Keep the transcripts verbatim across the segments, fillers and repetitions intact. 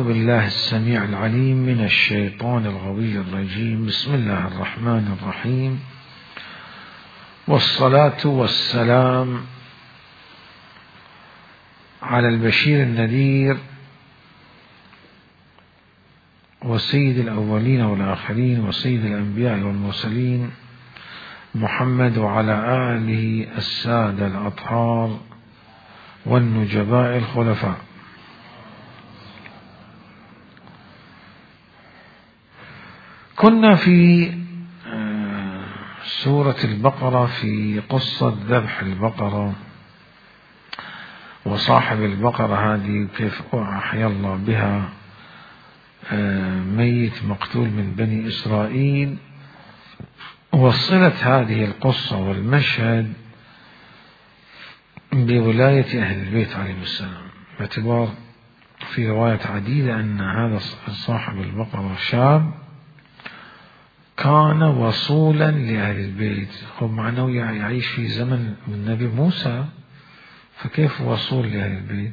بالله السميع العليم من الشيطان الغوي الرجيم. بسم الله الرحمن الرحيم، والصلاة والسلام على البشير النذير وسيد الأولين والآخرين وسيد الأنبياء والمرسلين محمد وعلى آله السادة الأطهار والنجباء الخلفاء. كنا في سورة البقرة في قصة ذبح البقرة وصاحب البقرة هذه كيف أحيا الله بها ميت مقتول من بني إسرائيل. وصلت هذه القصة والمشهد بولاية أهل البيت عليهم السلام، باعتبار في روايات عديدة أن هذا صاحب البقرة شاب كان وصولا لأهل البيت، هو معناه يعيش في زمن النبي موسى، فكيف وصول لأهل البيت؟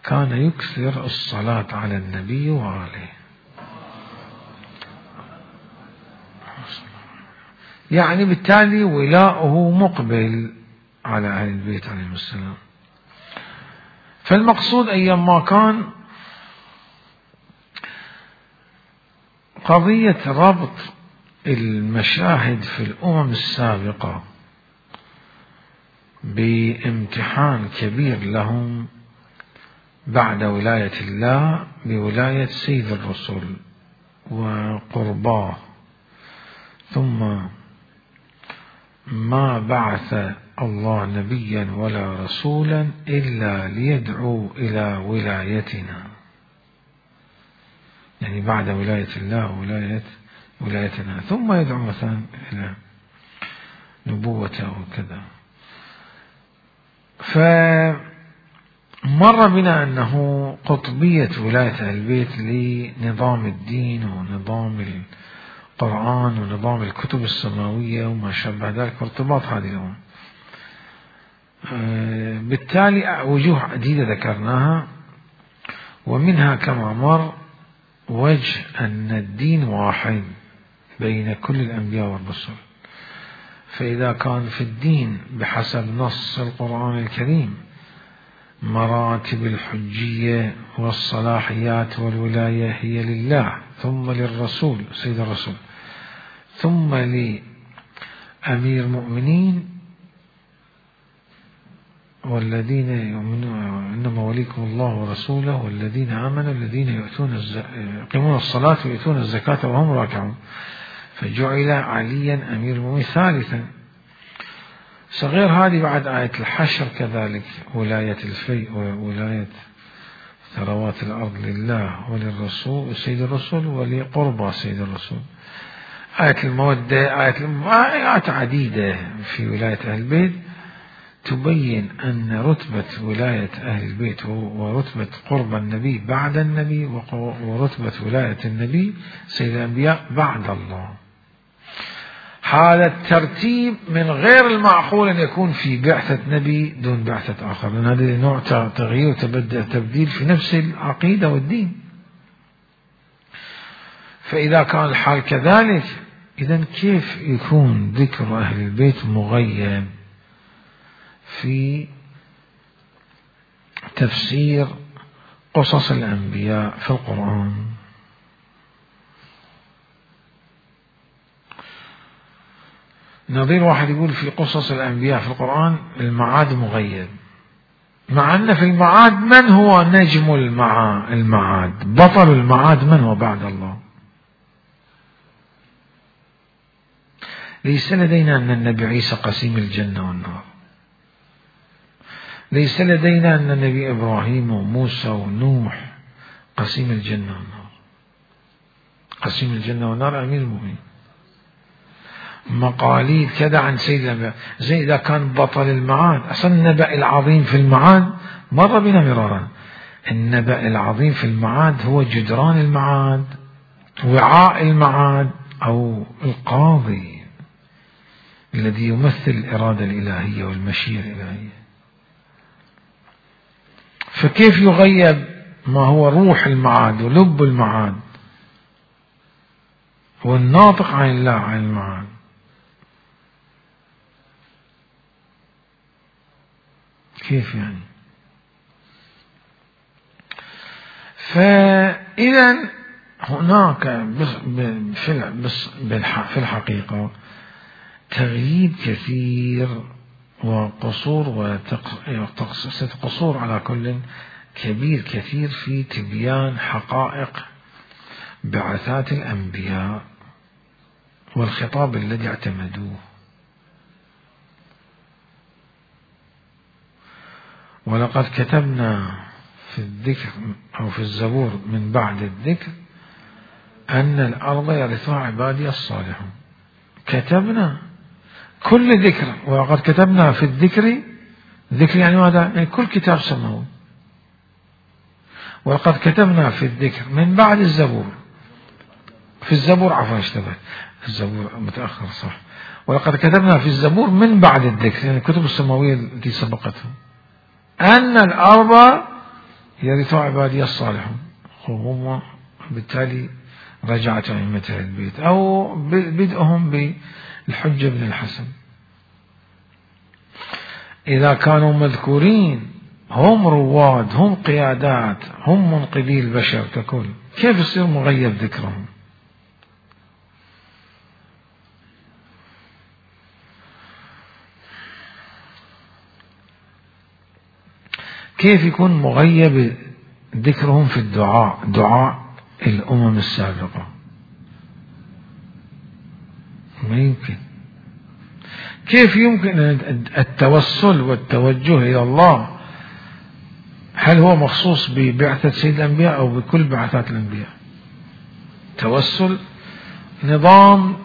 كان يكثر الصلاة على النبي وآله، يعني بالتالي ولاؤه مقبل على أهل البيت عليهم السلام. فالمقصود أيام ما كان قضية ربط المشاهد في الأمم السابقة بامتحان كبير لهم بعد ولاية الله بولاية سيد الرسل وقرباه، ثم ما بعث الله نبيا ولا رسولا إلا ليدعو إلى ولايتنا، يعني بعد ولاية الله ولاية ولايتنا، ثم يدعو مثلا إلى نبوته وكذا. فمر بنا أنه قطبية ولاية أهل البيت لنظام الدين ونظام القرآن ونظام الكتب السماوية وما شابه ذلك وارتباط هذه الأمور. بالتالي وجوه عديدة ذكرناها، ومنها كما مر وجه أن الدين واحد بين كل الأنبياء والرسل، فإذا كان في الدين بحسب نص القرآن الكريم مراتب الحجية والصلاحيات والولاية هي لله ثم للرسول سيد الرسول ثم لأمير المؤمنين والذين يؤمنون إنما وليكم الله ورسوله والذين آمنوا الذين يؤتون يقيمون الصلاة ويؤتون الزكاة وهم راكعون، فجعل عليا أمير المؤمنين ثالثا. صغير هذه بعد آية الحشر كذلك ولاية الفيء وولاية ثروات الأرض لله وللرسول وسيد الرسول ولقربى سيد الرسول. آية المودة، آية آيات عديدة في ولاية أهل البيت تبين أن رتبة ولاية أهل البيت ورتبة قرب النبي بعد النبي ورتبة ولاية النبي سيد الأنبياء بعد الله. هذا الترتيب من غير المعقول أن يكون في بعثة نبي دون بعثة آخر، لأن هذا نوع تغيير وتبديل في نفس العقيدة والدين. فإذا كان الحال كذلك، إذن كيف يكون ذكر أهل البيت مغيب في تفسير قصص الأنبياء في القرآن؟ نظير واحد يقول في قصص الأنبياء في القرآن المعاد مغيب، مع أن في المعاد من هو نجم المعاد؟ بطل المعاد من هو بعد الله؟ ليس لدينا أن النبي عيسى قسيم الجنة والنار، ليس لدينا أن النبي إبراهيم وموسى ونوح قسيم الجنة والنار. قسيم الجنة والنار أمير المؤمنين. مقاليد كذا عن سيد الأنبياء، زي إذا كان بطل المعاد. أصلا النبأ العظيم في المعاد مر بنا مرارا، النبأ العظيم في المعاد هو جدران المعاد، وعاء المعاد، أو القاضي الذي يمثل الإرادة الإلهية والمشيئة الإلهية. فكيف يغيب ما هو روح المعاد ولب المعاد والناطق عن الله عن المعاد. كيف يعني؟ فإذا هناك في الحقيقة تغييب كثير وقصور وقصور على كل كبير كثير في تبيان حقائق بعثات الأنبياء والخطاب الذي اعتمدوه. ولقد كتبنا في الذكر أو في الزبور من بعد الذكر أن الأرض يرثها عبادي الصالحون. كتبنا كل ذكر، ولقد كتبنا في الذكر، ذكر يعني ماذا؟ يعني كل كتاب سماوي. ولقد كتبنا في الذكر من بعد الزبور، في الزبور عفوا اشتبهت، في الزبور متأخر صح. ولقد كتبنا في الزبور من بعد الذكر، يعني الكتب السماوية التي سبقتهم، أن الأرض يرثها عبادي الصالحون. هم بالتالي رجعت أئمة البيت أو بدءهم بالحجة بن الحسن. إذا كانوا مذكورين هم رواد، هم قيادات، هم منقذي البشر ككل، كيف يصير مغيب ذكرهم؟ كيف يكون مغيب ذكرهم في الدعاء، دعاء الأمم السابقة؟ ما يمكن. كيف يمكن التوسل والتوجه إلى الله؟ هل هو مخصوص ببعثة سيد الأنبياء أو بكل بعثات الأنبياء؟ توسل نظام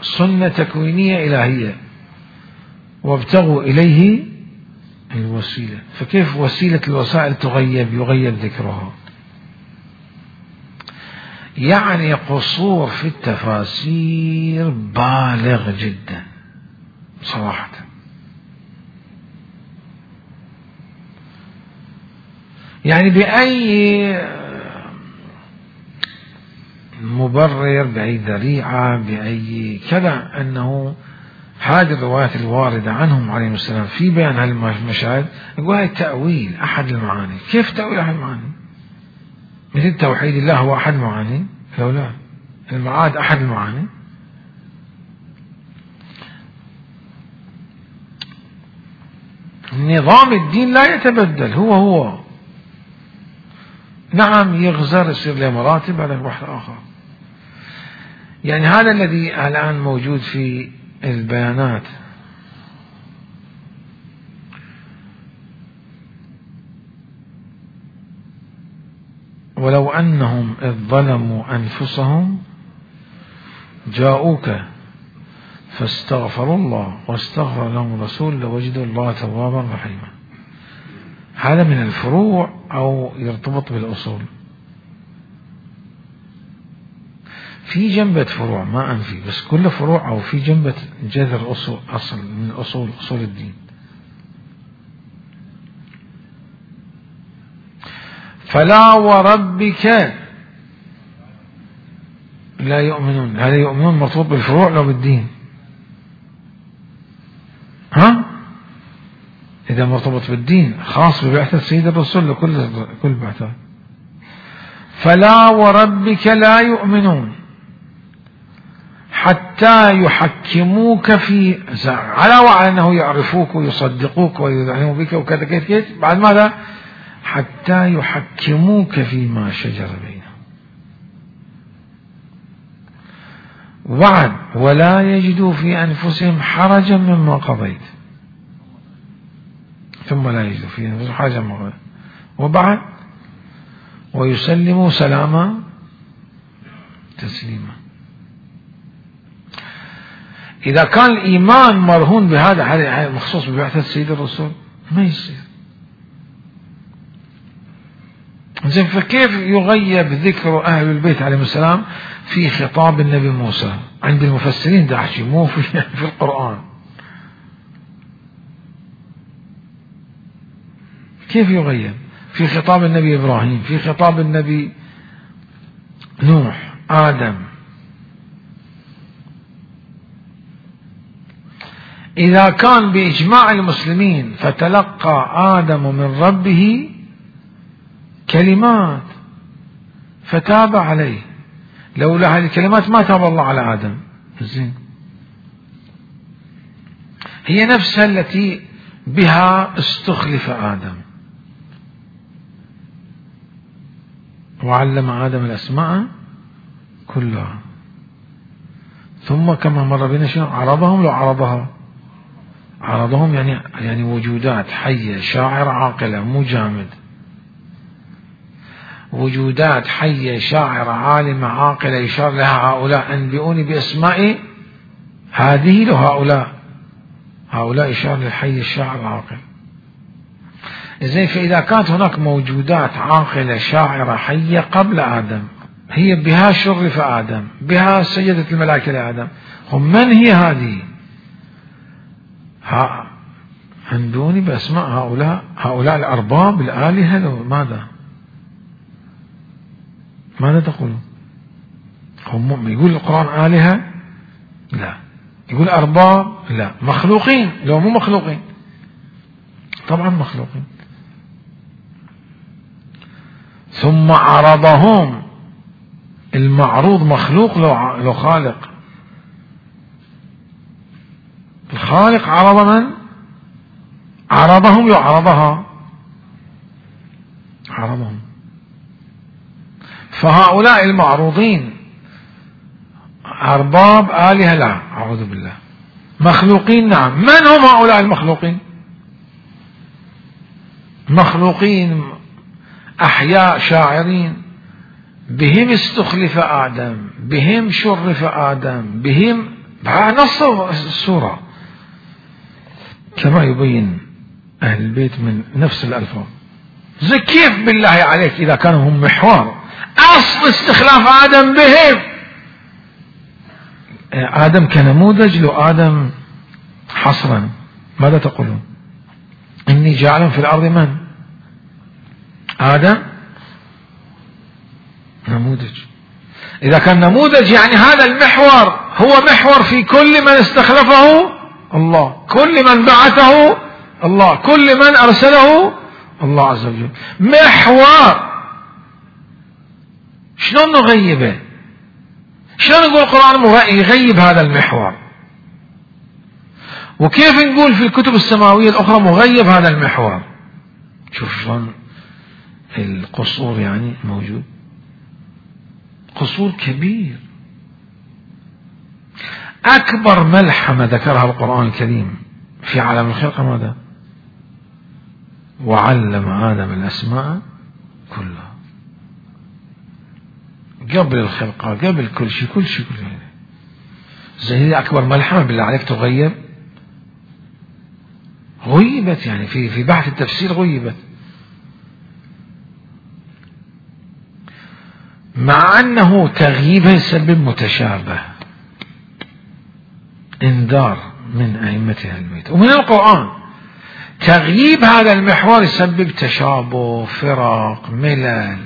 سنة تكوينية إلهية، وابتغوا إليه الوسيلة. فكيف وسيلة الوسائل تغيب، يغيب ذكرها؟ يعني قصور في التفاسير بالغ جدا صراحة. يعني بأي مبرر، بأي ذريعة، بأي كذا، أنه هذه الروايات الواردة عنهم عليهم السلام في بيان هالمشاهد يقول هاي تأويل أحد المعاني. كيف تأويل أحد المعاني؟ مثل توحيد الله هو أحد المعاني؟ لو لا، المعاد أحد المعاني. نظام الدين لا يتبدل، هو هو. نعم يغزر، يصير له مراتب على واحد آخر. يعني هذا الذي الآن موجود في البيانات. ولو أنهم إذ ظلموا أنفسهم جاءوك فاستغفروا الله واستغفر لهم الرسول لوجدوا الله توابا رحيما. هذا من الفروع أو يرتبط بالأصول. في جنبة فروع ما أنفي، بس كل فروع أو في جنبة جذر أصول، أصل من أصول أصول الدين. فلا وربك لا يؤمنون، هذا يؤمنون مرتبط بالفروع لو بالدين؟ ها؟ إذا مرتبط بالدين خاص ببعثة سيد الرسول لكل كل بعثة. فلا وربك لا يؤمنون حتى يحكموك في، على وعلى أنه يعرفوك ويصدقوك ويذعنوا بك وكذا كذا كذا، بعد ماذا؟ حتى يحكموك فيما شجر بينهم، وعد ولا يجدوا في أنفسهم حرجا مما قضيت، ثم لا يجدوا في أنفسهم حرجا مما قضيت، وبعد ويسلموا سلاما تسليما. إذا كان الإيمان مرهون بهذا، هذا مخصوص ببعثة سيد الرسول، ما يصير. زين، فكيف يغيب ذكر أهل البيت عليهم السلام في خطاب النبي موسى عند المفسرين؟ ده حكي مو في, في القرآن. كيف يغيب؟ في خطاب النبي إبراهيم، في خطاب النبي نوح، آدم. إذا كان بإجماع المسلمين فتلقى آدم من ربه كلمات فتاب عليه، لولا هذه الكلمات ما تاب الله على آدم. زين، هي نفسها التي بها استخلف آدم، وعلم آدم الأسماء كلها، ثم كما مر بنا شنو عرضهم، لو عرضها عرضهم يعني يعني وجودات حية شاعرة عاقلة، مو جامد، وجودات حية شاعرة عالمة عاقلة يشار لها هؤلاء أنبئوني بأسماء هذه لو هؤلاء هؤلاء يشار للحي الشاعر العاقل. زين، فإذا كانت هناك موجودات عاقلة شاعرة حية قبل آدم، هي بها شرف آدم، بها سجدت الملائكة لآدم، من هي هذه؟ ها أنبئوني بأسماء هؤلاء هؤلاء الأرباب الآلهة لو ماذا ماذا تقولون؟ هم يقول القرآن آلهة؟ لا. يقول أرباب؟ لا. مخلوقين؟ لو مو مخلوقين، طبعا مخلوقين. ثم عرضهم، المعروض مخلوق لو لو خالق، الخالق عرض من؟ عرضهم لو عرضها عرضهم. فهؤلاء المعروضين أرباب آلهة؟ لا، أعوذ بالله. مخلوقين؟ نعم. من هم هؤلاء المخلوقين؟ مخلوقين أحياء شاعرين، بهم استخلف آدم، بهم شرف آدم، بهم نص السورة كما يبين أهل البيت من نفس الألفاظ. زي كيف بالله عليك إذا كانوا هم محور أصل استخلاف آدم بهم؟ آدم كنموذج، لو آدم حصرا ماذا تقولون؟ إني جاعل في الأرض من؟ آدم نموذج. إذا كان نموذج يعني هذا المحور هو محور في كل من استخلفه الله، كل من بعثه الله، كل من أرسله الله عز وجل. محور شلون نغيبه؟ شلون نقول القرآن يغيب هذا المحور؟ وكيف نقول في الكتب السماوية الأخرى مغيب هذا المحور؟ شوف شلون القصور يعني موجود، قصور كبير. أكبر ملحمة ذكرها القرآن الكريم في عالم الخلق ماذا؟ وعلم آدم الأسماء كلها، قبل الخلقة، قبل كل شيء كل شيء كل شيء. زي أكبر ملحمة بالله عليك تغيب؟ غيبت يعني في في بحث التفسير غيبت، مع أنه تغييبها يسبب متشابه، انذار من أئمة أهل البيت ومن القرآن. تغييب هذا المحور يسبب تشابه، فرق، ملل.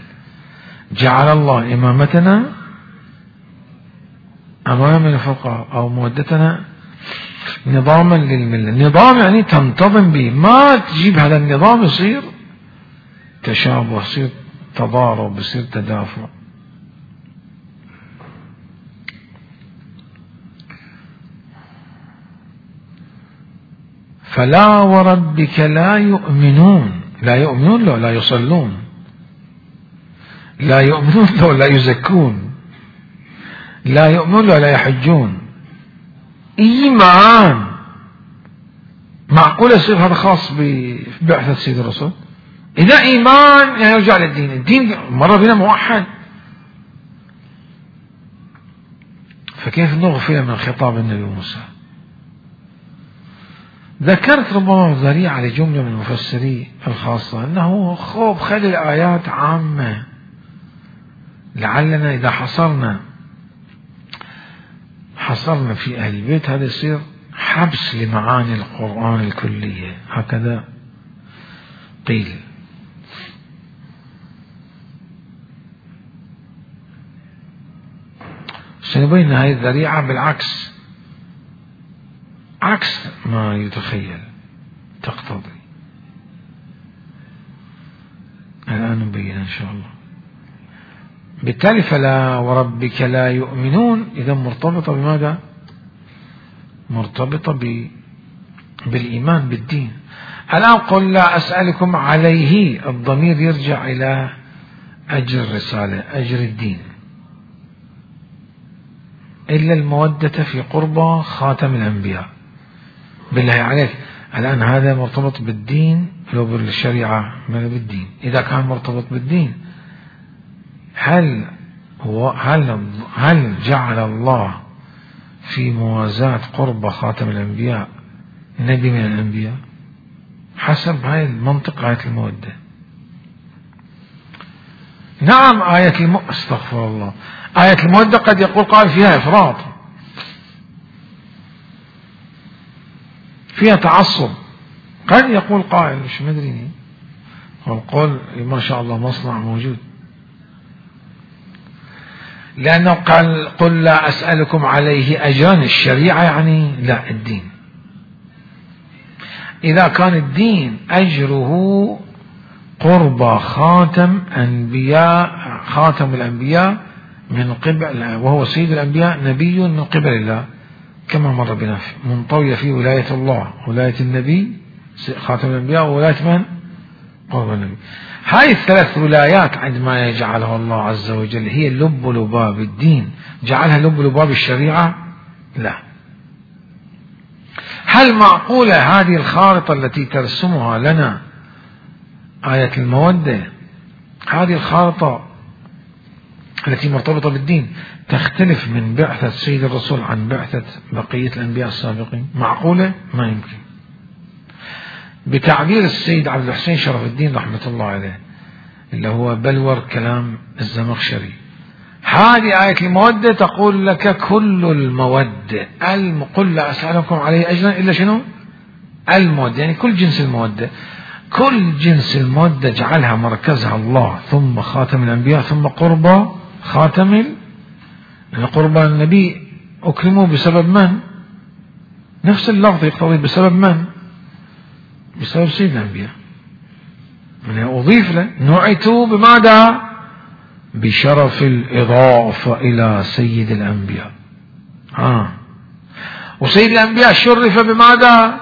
جعل الله إمامتنا أمام الفقهاء أو مودتنا نظاما للملة. نظام يعني تنتظم به، ما تجيب هذا النظام يصير تشابه، يصير تضارب، يصير تدافع. فلا وربك لا يؤمنون، لا يؤمنون لو لا يصلون، لا يؤمنون لو لا يزكون، لا يؤمنون لو لا يحجون. إيمان معقول يصير هذا خاص ببعثة سيد الرسول؟ إذا إيمان يعني يرجع للدين، الدين مرة بنا موحد، فكيف نغفل من خطاب النبي موسى؟ ذكرت ربما ذريعة لجملة من المفسرين الخاصة أنه خوب خلي الآيات عامة، لعلنا إذا حصرنا حصرنا في أهل البيت هذا يصير حبس لمعاني القرآن الكلية، هكذا قيل. سنبين هذه الذريعة بالعكس، عكس ما يتخيل تقتضي. الآن نبين إن شاء الله. بالتالي فلا وربك لا يؤمنون إذا مرتبطة بماذا؟ مرتبطة ب... بالإيمان بالدين. الآن قل لا أسألكم عليه، الضمير يرجع إلى أجر الرسالة، أجر الدين، إلا المودة في قربى خاتم الأنبياء. بالله عليك الآن هذا مرتبط بالدين لو بالشريعة ما بالدين؟ إذا كان مرتبط بالدين هل هو هل هل جعل الله في موازاة قرب خاتم الأنبياء نبي من الأنبياء؟ حسب هاي المنطق آية المودة. نعم آية الم... استغفر الله، آية المودة قد يقول قال فيها إفراط، فيها تعصب، قد يقول قائل مش مدري، والقول ما شاء الله مصنع موجود، لأنه قال قل لا أسألكم عليه أجرا، الشريعة يعني لا الدين. إذا كان الدين أجره قرب خاتم أنبياء، خاتم الأنبياء من قبل، وهو سيد الأنبياء نبي من قبل الله كما مر بنا منطوية في ولاية الله، ولاية النبي خاتم الأنبياء، وولاية من؟ قرب النبي. هاي الثلاث ولايات عندما يجعلها الله عز وجل هي لب لباب الدين، جعلها لب لباب الشريعة؟ لا. هل معقولة هذه الخارطة التي ترسمها لنا آية المودة، هذه الخارطة التي مرتبطة بالدين تختلف من بعثة سيد الرسول عن بعثة بقية الأنبياء السابقين؟ معقولة؟ ما يمكن. بتعبير السيد عبد الحسين شرف الدين رحمة الله عليه اللي هو بلور كلام الزمخشري، هذه آية المودة تقول لك كل المودة، قل لا أسألكم عليه أجرا إلا شنو؟ المودة، يعني كل جنس المودة، كل جنس المودة جعلها مركزها الله، ثم خاتم الأنبياء، ثم قرب خاتم ال... قرب النبي أكرموا بسبب من؟ نفس اللفظ يقتضي بسبب من؟ بسبب سيد الأنبياء، من أضيف له نعتوا بماذا؟ بشرف الإضافة إلى سيد الأنبياء. آه. وسيد الأنبياء شرف بماذا؟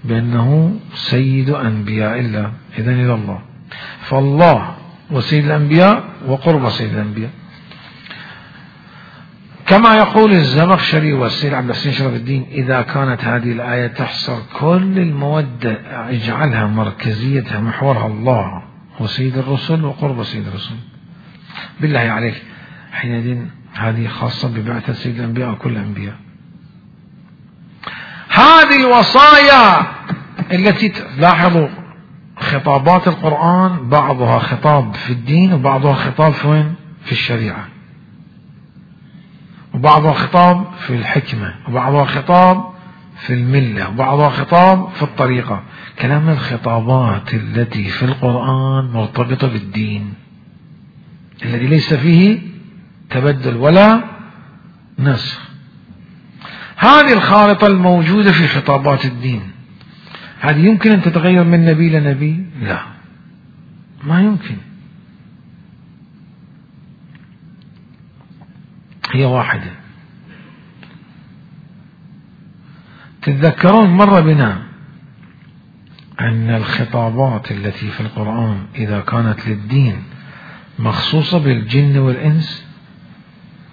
بأنه سيد أنبياء الله، إذن إلى الله، فالله وسيد الأنبياء وقرب سيد الأنبياء. كما يقول الزمخشري والسيد عبد الحسين شرف الدين إذا كانت هذه الآية تحصر كل المودة اجعلها مركزيتها محورها الله وسيد الرسل وقرب سيد الرسل. بالله عليك حينئذ هذه خاصة ببعثة سيد الأنبياء وكل الأنبياء. هذه الوصايا التي تلاحظوا خطابات القرآن بعضها خطاب في الدين وبعضها خطاب في وين؟ في الشريعة، وبعضها خطاب في الحكمة، وبعضها خطاب في الملة، وبعضها خطاب في الطريقة. كلام الخطابات التي في القرآن مرتبطة بالدين الذي ليس فيه تبدل ولا نسخ. هذه الخارطة الموجودة في خطابات الدين هذه يمكن أن تتغير من نبي لنبي؟ لا، ما يمكن، هي واحدة. تتذكرون مر بنا أن الخطابات التي في القرآن إذا كانت للدين مخصوصة بالجن والإنس؟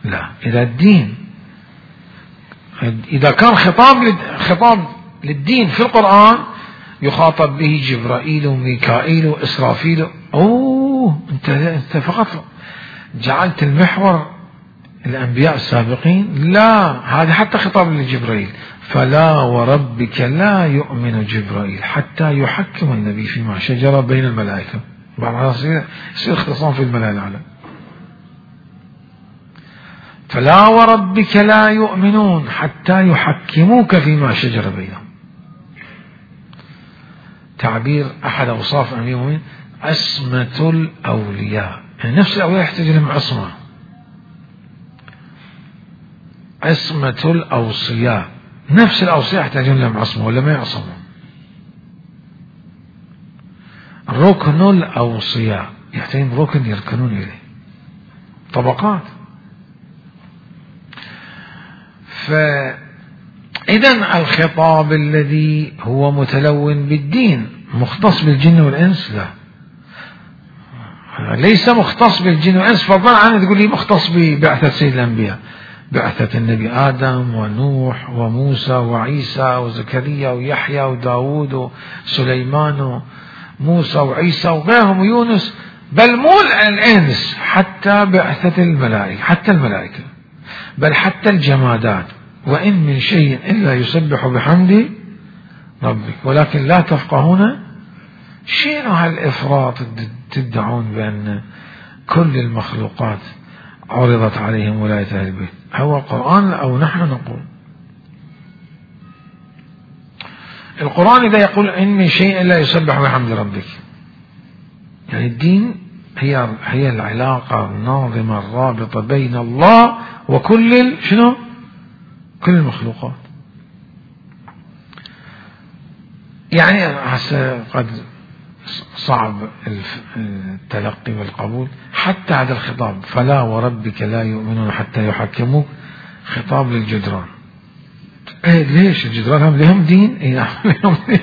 لا، إذا الدين إذا كان خطاب خطاب للدين في القرآن يخاطب به جبرائيل وميكائيل وإسرافيل، أوه أنت أنت فقط جعلت المحور الأنبياء السابقين؟ لا، هذا حتى خطاب لجبرائيل، فلا وربك لا يؤمن جبرائيل حتى يحكم النبي فيما شجر بين الملائكة. بعد يصير اختصام في الملأ الأعلى. فلا وربك لا يؤمنون حتى يحكموك فيما شجر بينهم. تعبير أحد أوصاف أمير المؤمنين عصمة الأولياء، يعني نفس الأولياء يحتاج لهم عصمة. عصمة الأوصياء، نفس الأوصياء يحتاجون لهم عصمة ولا ما يعصمون. ركن الأوصياء يحتاجون ركن يركنون إليه، طبقات. فإذا الخطاب الذي هو متلون بالدين مختص بالجن والإنس؟ لا، ليس مختص بالجن والإنس، فضلا عن تقول لي مختص ببعثة سيد الأنبياء، بعثة النبي آدم ونوح وموسى وعيسى وزكريا ويحيى وداود وسليمان وموسى وعيسى وغيرهم ويونس، بل مو الإنس، حتى بعثة الملائكة، حتى الملائكة، بل حتى الجمادات. وإن من شيء إلا يسبح بحمد ربك ولكن لا تفقهون. شنو هالإفراط تدعون بأن كل المخلوقات عرضت عليهم ولاية أهل البيت؟ هو القرآن أو نحن نقول؟ القرآن إذا يقول إن من شيء إلا يسبح بحمد ربك، يعني الدين هي هي العلاقة الناظمة الرابطة بين الله وكل شنو؟ كل المخلوقات. يعني هسه قد صعب التلقي والقبول حتى هذا الخطاب، فلا وربك لا يؤمنون حتى يحكموك، خطاب للجدران. ايه ليش الجدران هم لهم دين؟ ايه لهم دين.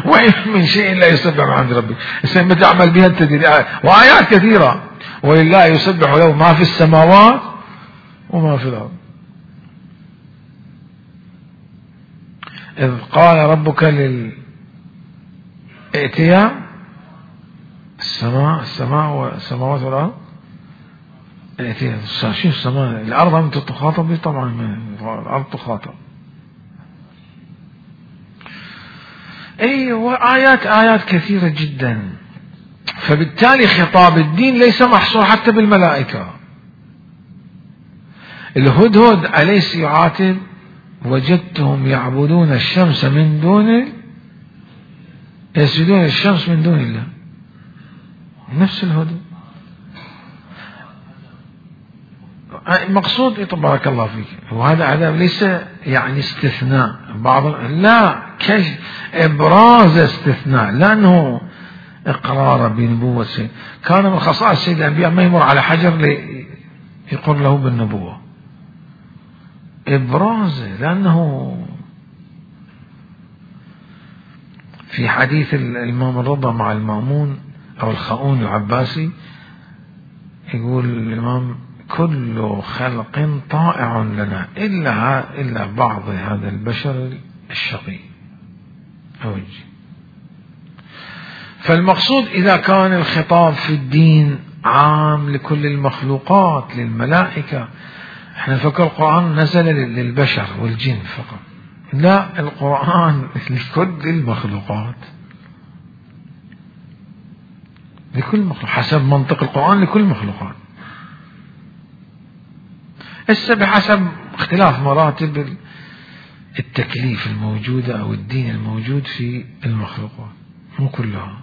وإن من شيء لا يسبح بحمد ربك، السنة تعمل بها التدريب وآيات كثيرة، ولله يسبح له ما في السماوات وما في الأرض. إذ قال ربك للائتياء السماء السماء والسماوات والأرض، ائتياء شو السماء الأرض هم تخاطب به طبعا، الأرض تخاطب. أي وآيات آيات كثيرة جدا. فبالتالي خطاب الدين ليس محصور حتى بالملائكة. الهدهد أليس يعاتب وجدتهم يعبدون الشمس من دون يسجدون الشمس من دون الله، نفس الهدهد. المقصود تبارك الله فيك، وهذا هذا ليس يعني استثناء بعض، لا، كيف إبراز استثناء، لأنه إقرار بنبوة سيد. كان من خصائص سيد الأنبياء ما يمر على حجر يقر له بالنبوة، إبراز. لأنه في حديث الإمام الرضا مع المأمون أو الخاؤون العباسي يقول الإمام كل خلق طائع لنا إلا إلا بعض هذا البشر الشقي أو الجن. فالمقصود إذا كان الخطاب في الدين عام لكل المخلوقات للملائكة، احنا نفكر القرآن نزل للبشر والجن فقط، لا، القرآن لكل المخلوقات، لكل مخلوق حسب منطق القرآن لكل المخلوقات. هسه بحسب اختلاف مراتب التكليف الموجودة أو الدين الموجود في المخلوقات، مو كلها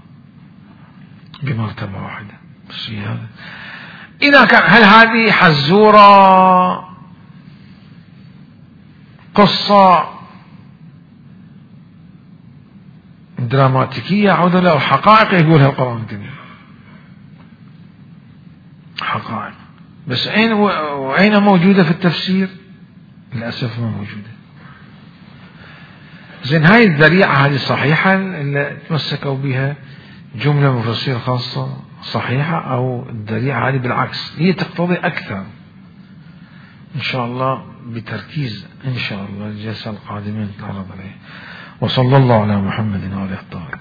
بمرتبة واحدة. بس هذا إذا كان هل هذه حزورة قصة دراماتيكية عودة أو حقائق يقولها القرآن الكريم؟ حقائق، بس أين وأين موجودة في التفسير؟ للأسف ما موجودة. زين هاي الذريعة هذه صحيحة اللي تمسكوا بها جملة مفسرة خاصة صحيحة، أو الذريعة هذه بالعكس هي تقتضي أكثر؟ إن شاء الله بتركيز إن شاء الله الجلسة القادمة نتعرض عليه. وصلى الله على محمد وآله الطاهرين.